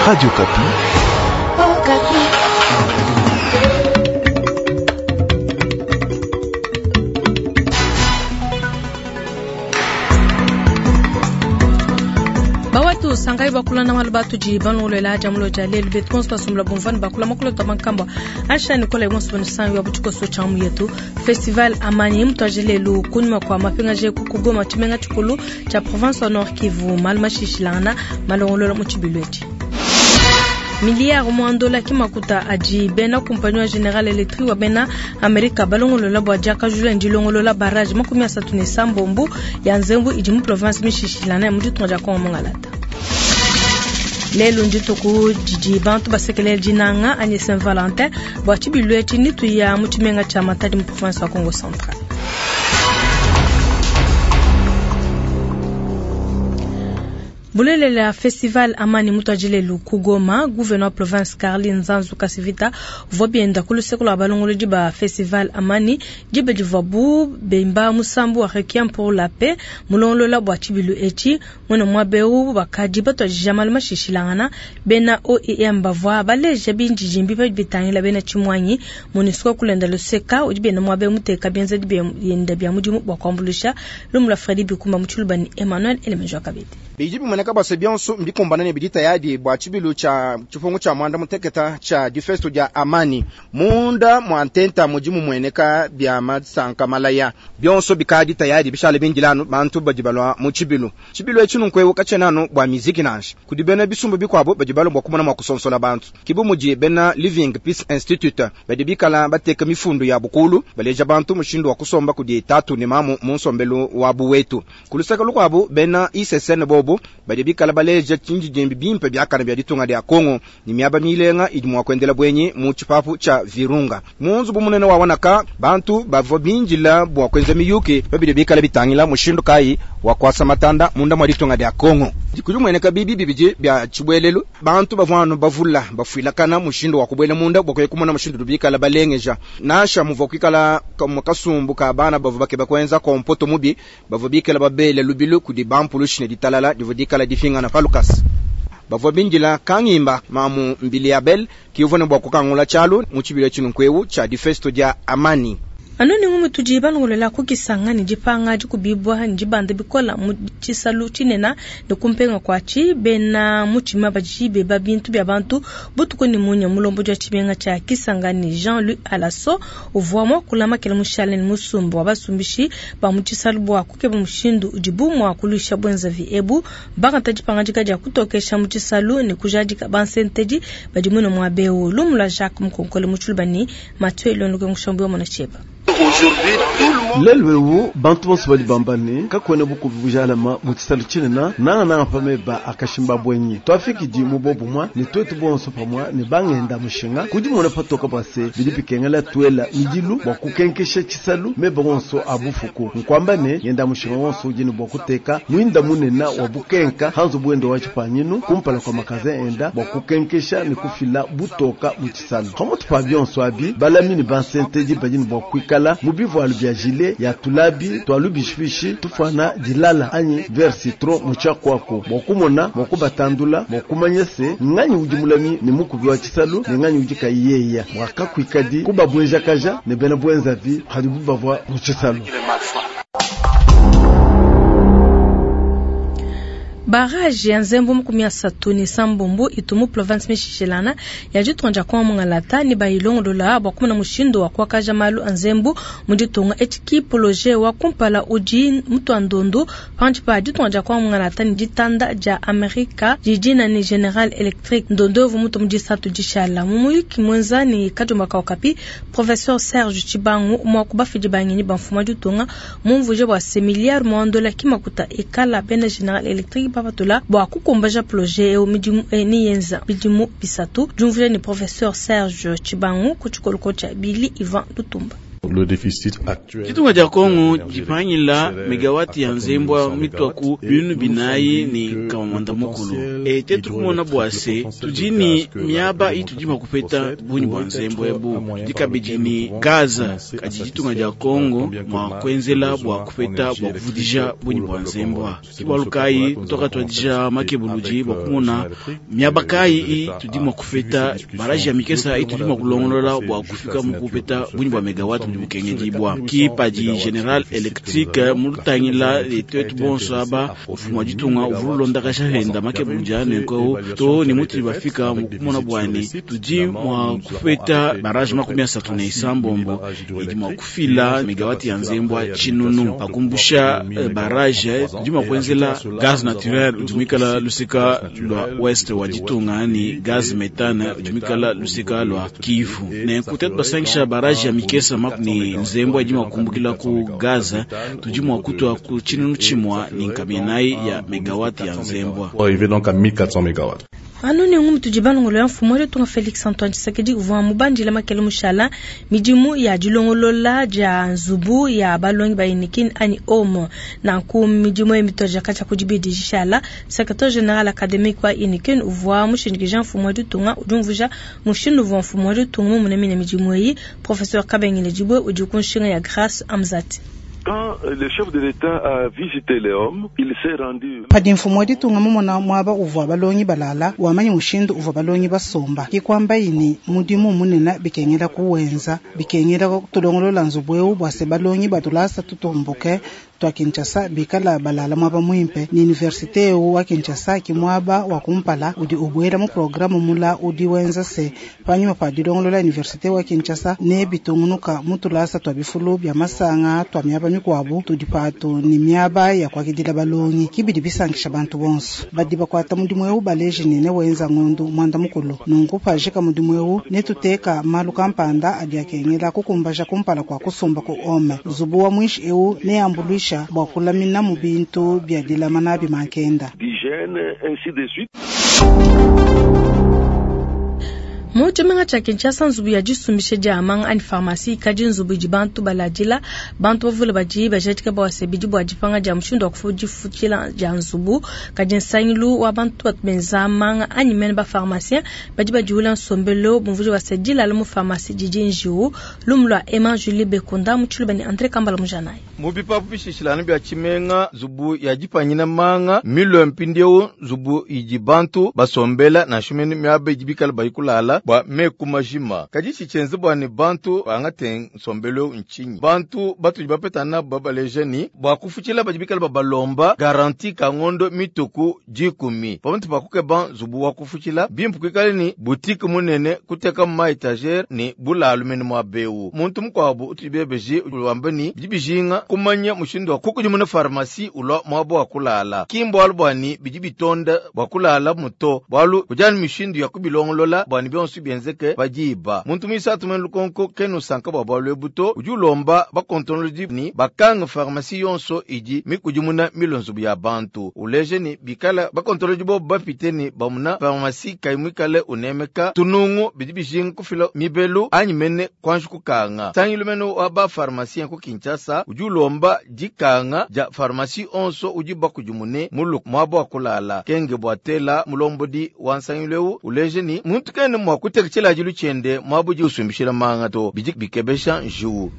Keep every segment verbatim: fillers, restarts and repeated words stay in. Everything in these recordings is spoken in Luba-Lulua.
Radio Okapi. Oh, Bawatu sangai bakula na malu batudi balongolola jamulo ja lelu betu bonso basombola bumvani bakula makolo ta mankamba asha nikola bonso banisangi wa butshikoso tsha mu yetu festival amani mutwaje lelu kunyuma kwa mapingaje ku kugoma tshimenga tshikulu tsha province wa Nord Kivu malu mashishilangana malongolola mu tshibilu etshi miliyari muandola kimakuta adi bena kumpanyi wa General Electric wa bena Amerika balongolola bua diakajula ndilongolola barrage makumi asatu ne sambombu ya nzembu idi mu province mishishilana ya mu ditunga dia Kongo Mongalata. Lelu ndituku didi bantu basekelela dinanga anyi Saint Valentin bua tshibilu etshi nituya mu tshimenga tsha Matadi mu province wa Kongo Central. Bulelela festival amani mutwajilelu kugoma gouverneur province Carly Nzanzu Kasivita uvua bienda ku luseke lua balongolodi ba festival amani diba divuabu bemba musambu wa requiem pour la paix mulongolola bua tshibilu etshi mwene muaba bakadi batuadija malu mashishilangana bena O I M bavua baleja bindidimbi badi bitangila bena tshimuanyi MONUSCO kulenda luseka udi bena muaba muteka bienzedi bienda bia mudimu bua kuambuluisha lumu lua Fredi Bikumba mu tshiluba ni Emmanuel Elemenjo Kabedi. Bidi bimoneka bua se bionso mbikumbana ne bidi tayadi bua tshibilu tsha tshipungu tsha mwanda muteketa tsha difesto dia amani munda mwa ntenta mudi mumueneka bia masanka malaya bionso bikadi tayadi bishale bindilanu bantu badi balwa mu tshibilu tshibilu etshi nunku katshena bua miziki nansha kudi bena bisumbu bikuabo badi balwa bua kumona mua kusonsola bantu kibu mudi bena Living Peace Institute badi bikala bateka mifundu ya bukulu baleja bantu mushindu wa kusomba kudi tatu ne mamu mu nsombelu wa buwetu kulusaka lukuabu bena I C S N bobu badi bikala baleja tshindidimbi bimpe biakana bia ditunga dia Kongo ni miaba milenga idi mua kuendela bwenyi mu tshipapu tsha Virunga munzu bumunene wa wanaka bantu bavua binjila bua kuenza miyuki babidi bikala bitangila mushindu kai wa kwasa matanda munda mwa ditunga dia Kongo kudi mueneka bibi bibidi bia tshibwelelu bantu bavua anu bavula bafuilakana mushindu wa kubwela munda bua kumona mushindu bikala balengeja nasha muvua kuikala kasumbu ka bana bavua bakeba kuenza kompoto mubi bavua bikala babele lubilu kudi bampulushi ne ditalala divua dikala difingana palukas bavua bindila kangimba mamu mbili Abel kivone bua kukangula tshialu mu tshibilo tshinunkuewu tsha difesto dia amani. Anoni ngumu tudi balongolola kukisanga ni dipanga dikubibwa ndibanda bikola mu tshisalu tshinena ne kumpenga kwatshi bena mutshima badi beba bintu bia bantu butuku ni munya mulombo dia tshimenga tsha Kisanga ni Jean-Louis Alasso uvua mua kulama kele mushale ni musumbu wa basumbishi ba mu tshisalu bua kukeba mushindu udibu mua kulusha bwenzavi ebu bakata dipanga dika dia kutokesha mu tshisalu ne kujadika bansentedi badi muno mua beu lumula Jacques Mukonkole mu tshiluba ni Mathieu Londoke Mushambu wa Monacheba. Lelu ewu bantu bonso badi bamba ne kakuena bukubi bujalama mu tshisalu tshinena nangananga pameba akashimba bwenyi twafikidi mu bobumwa ne twetu bonso pamwa ne bangenda mushinga kudi mona patoka bua se bidi bikengela tuela midilu bua kukenkesha tshisalu meba wonso abufuku nkwamba ne ngenda mushinga wonso udi ne bua kuteka mwinda munena wa bukenka hanzu bwendo wa tshipanyinu kumpala kwa makaze enda bua kukenkesha ne kufila butoka mu tshisalu pamutu pa bionso abi balami ne bansentedi badi ne bua kuikala mu bivualu bia gilet ya tulabi twalu bishbishi tufana dilala anyi ver citron mu tshiakuaku bua kumona bua kubatandula bua kumanya se nganyi udi mulami ne mukubi wa tshisalu ne nganyi udi kayiyeya bua kakuikadi kubabwenjakaja ne bena bwenzavi hadibu bavua mu tshisalu. Barrage ya nzembu makumi asatu ne sambombo itu mu province mishishilana ya ditunga dia Kongo Mongalata ne bayilongolola bua kumona mushindu wa kuakaja malu a nzembu mu ditunga etshi projet wa kumpala udi mutuandondu panshi pa ditunga dia Kongo Mongalata ne ditanda dia Amerika didina ne General Electric ndondo uvua mutu mu disatu dishala mu muyuki mwenza ne Kadiomba ka Okapi professeur Serge Tshibangu mua kubafidi bangenyi ba mfumu wa ditunga mumvuje bua se milliard muandola kimakuta ekala bena General Electric papatula bua kukumbaja projet eu midimu ni yenza bidimu bisatu jumvuje ni professeur Serge Tshibangu ku tshikoloko tsha Billy Ivan Lutumba. Ditunga dia Kongo dipangila megawati ya nzembwa mitwa ku binunu binayi ne nkama mwanda mukulu. E tetu kumona bua se tudi ni miaba itudi mua kupeta bungi bua nzembwa ebu tudi kabidi ni gaza kadi ditunga dia Kongo mua kuenzela bua kupeta bua kuvudija bungi bua nzembwa. Ke bualu kayi tuakatuadija makebuludi bua kumona miaba kayi itudi mua kupeta baraji ya mikesa itudi mua kulongolola bua kufika mu kupeta bungi bua megawati budi bukengedibua. Ki padi General Electric mulutangila twetu bonso aba mfumu wa ditunga uvua ulondakasha henda makebuludi anenku to ni mutudi bafika mu kumona bua ne tudi mua kupeta baraji makumi asatu ne isambombo idi mua kufila megawati ya nzembwa tshinunu pakumbusha baraje tudi mua kuenzela gaz naturel udi muikala lusika lua ouest wa ditunga ni gaz metane udi muikala lusika lua Kivu. Nenku tetu basangisha baraji ya mikesa ni nzembwa idi mua kumbukila ku gaza tudi mua kutua ku tshinunu tshimua ni nkama inayi ya megawati ya nzembwa. Anu nengu tudi balongolola mfumu wa ditunga Felix Antoine Tshisekedi uvua mubandila makele mushala midimu ya dilongolola dia nzubu ya balongi ba UNIKIN anyi home. Nanku midimu eyi mituadija katshia ku dibidi dishala. Secrétaire général académique wa UNIKIN uvua mushindikija mfumu wa ditunga udi umvuija mushindu uvua mfumu wa ditunga mumone midimu eyi. Professeur Kabengele Dibwe udi ku nshinga ya Grace Amzati. Quand le chef de l'État a visité les hommes, il s'est rendu. Padi mfumu wa ditunga mumona muaba uvua balongi balala wamanyi mushindu uvua balongi basomba ke kuamba yini mudimu munene bikengela kuwenza bikengela tulongolola nzubu eu bua se balongi batulasa tutumbuke twa Kinshasa bikala balala muaba muimpe ni universite eu wa Kinshasa ki muaba wa kumpala udi ubuela mu programme mula udi wenza se panyuma pa dilongolola universite wa Kinshasa ne bitungunuka mutulasa twa bifulu bya masanga twa miaba mikuabu tudi patu ni miaba ya kuakidila balongi kibidi bisankisha bantu bonso badi bakuata mudimu eu baleji ne wenza ngondu mwanda mukulu nunku pajika mudimu eu netuteka malu kampanda adi akengela kukumbaja kumpala kwa kusumba ku ome nzubu wa mwishi eu neambuluisha bua kulamina mu bintu bya dilama nabi mankenda. D'hygiène, ainsi de suite. Mu tshimenga tshia Kinshasa nzubu ya disumbisha dia manga anyi pharmacie ikadi nzubu idi bantu baladila bantu bavule badi bajadika bua se bidi bua dipanga dia mushindu wa kudifutshila dia nzubu kadi nsangilu wa bantu batu benza manga anyi mene ba pharmacien badi badiwula nsombelo bumvuija bua se dilala mu pharmacie didi njiwu lumu lua Emma Julie Bekunda mu tshiluba ne André Kambala Mujanayi. Mu bipapu bishishilanu bia tshimenga nzubu ya dipanyina manga milwe mpindieu nzubu idi bantu basombela nansha mene miaba idi bikala bayikulala bua meku majima kadi tshitshenze bua ne bantu bangate nsombelo nchinyi bantu batudi bapetana babaleja ni bua kufutshila badi bikala babalomba garanti ka ngondo mituku dikumi pamuntu pakukeba nzubu wa kufutshila bimpe kuikale ni butike munene kuteka mu ma etagere ni bulalu mene mua bewu muntu mukuabu utudi bebeji wamba ni bidi bijinga kumanya mushindu wa kukudimuna pharmacie ulwa muaba wa kulala kimbualu bua ni bidi bitonda bua kulala muto bualu kujani mishindu ya kubilongolola bua ni bionso bienzeke padiba muntu muisatu mwene lukonko kenu sanka bua bualu ebu to udi ulomba bakontrolodi ni bakanga pharmacie yonso idi mikudimuna milo nzubu ya bantu uleje ni bikala bakontrolodi bobu bapite ni bamuna pharmacie kayi muikale unemeka tunungu bidi bijinga kufila mibelu anyi mene kuanji kukanga sangilu mene wa ba pharmacien ku Kinshasa udi ulomba dikanga dia pharmacie onso udi bakudimune mulu muaba wa kulala kenge bua tela mulombodi wa nsangilu eu uleje ni muntu kene mua kuteka tshilajilu tshiende muaba udi usumbishila manga to bidi bikebesha njiwu.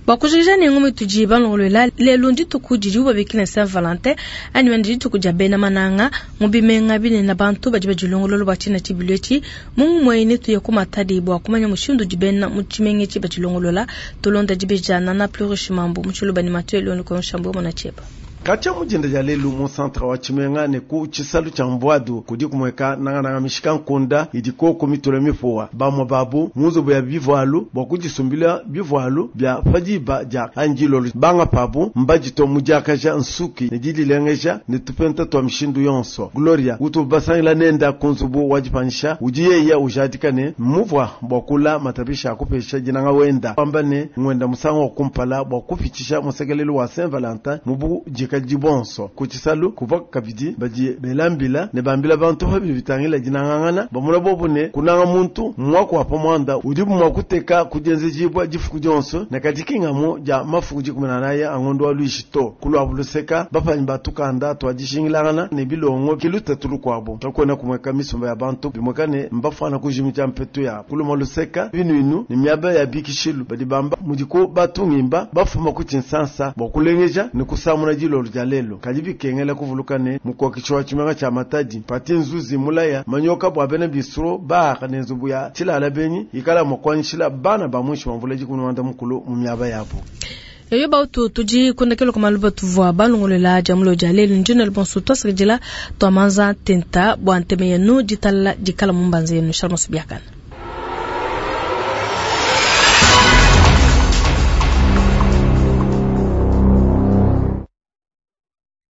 Bua kujikija ne ngumi tudi balongolola lelu ndituku didibu babikila Saint Valentin anyi mene dituku dia bena mananga mu bimenga binene bantu badi badilongolola bua tshina tshibilu etshi mu ngumue netuye ku Matadi bua kumanya mushindu udi bena mu tshimenga etshi badilongolola tulonda dibeja Nana Plurish Mambu mu tshiluba ne Mathieu Elongo Konshambo mona tshieba. Katshia mujinda dia lelu mu centre wa tshimenga ne ku tshisalu tshia mvuadu kudi kumueka nangananga mishika nkunda idi koko mitula mipuwa bamwe babu mu nzubu ya bivualu bua kudisumbila bivualu bia padiba dia anjilolo banga pabu mbadito mudiakaja nsuki ne didilengeja ne tupenta twa mishindu yonso Gloria utu basangila nenda ku nzubu wa dipanyisha udi yeya ujadika ne muvua bua kula matapisha akupesha dinanga wenda pamba ne ngwenda musango wa kumpala bua kupitshisha musekelelu wa Saint Valentin mu budika budikadidi bonso. Ku tshisalu kuvua kabidi badi bela mbila ne bambila bantu pa bidi bitangila dinangangana, bamona bobu ne kunanga muntu mmuaku wa pa muanda udibu mua kuteka ku dienzejibua difuku dionso ne kadi ki ng'amu dia mafuku dikumi ne anayi a ngondo wa Luishi to. Ku luabu luseka, bapanyi ba tukanda tua dijingilangana ne bilongo ke lutatu lukuabu. Kakuena kumueka misumba ya bantu bimueka ne mbafuana kujimija mpetu yabu. Ku lumue luseka, binuinu ne miaba ya bikishilu badi bamba mudiku batungimba bafuma ku Tshinsansa bua kulengeja ne kusamuna dilolo dia lelu. Kadi bikengela kuvuluka ne mukokeshi wa tshimenga tshia Matadi Paty Nzuzi mulaya manyoka bua bena bistro, bar ne nzubu ya tshilala benyi ikala mua kuanyishila bana ba muinshi mua mvula dikumi ne muanda mukulu mu miaba yabu. Eyo bautu tudi kundekelo kwa maluba tuvua balongolola dia mulo dia lelu ndina bonso tuasakidila twamanza tenta bua nteme yenu ditalala dikala mu mbanza yenu shalom biakana.